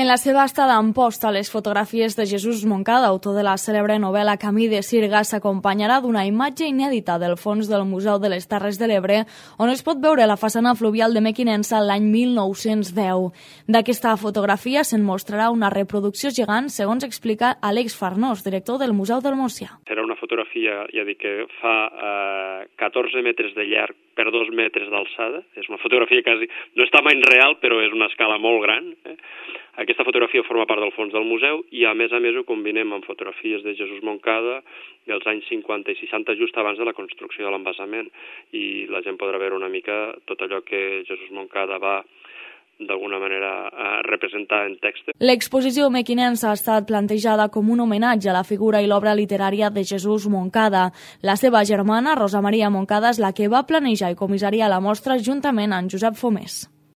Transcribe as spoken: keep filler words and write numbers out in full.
En la seva estada a Amposta, les fotografies de Jesús Moncada, autor de la cèlebre novel·la Camí de Sirga, s'acompanyarà d'una imatge inèdita del fons del Museu de les Terres de l'Ebre, on es pot veure la façana fluvial de Mequinensa l'any mil nou-cents deu. D'aquesta fotografia se'n mostrarà una reproducció gegant, segons explica Àlex Farnós, director del Museu del Montsià. Serà una fotografia, ja dic, que fa eh, catorze metres de llarg per dos metres d'alçada. És una fotografia quasi, no és tamany real, però és una escala molt gran. Eh? Aquesta fotografia forma part del fons del museu i, a més a més, ho combinem amb fotografies de Jesús Moncada dels anys cinquanta i seixanta, just abans de la construcció de l'embassament. I la gent podrà veure una mica tot allò que Jesús Moncada va d'alguna manera a representar en text. L'exposició mequinensa ha estat plantejada com un homenatge a la figura i l'obra literària de Jesús Moncada. La seva germana, Rosa Maria Moncada, és la que va planejar i comissariar la mostra juntament amb Josep Fomés.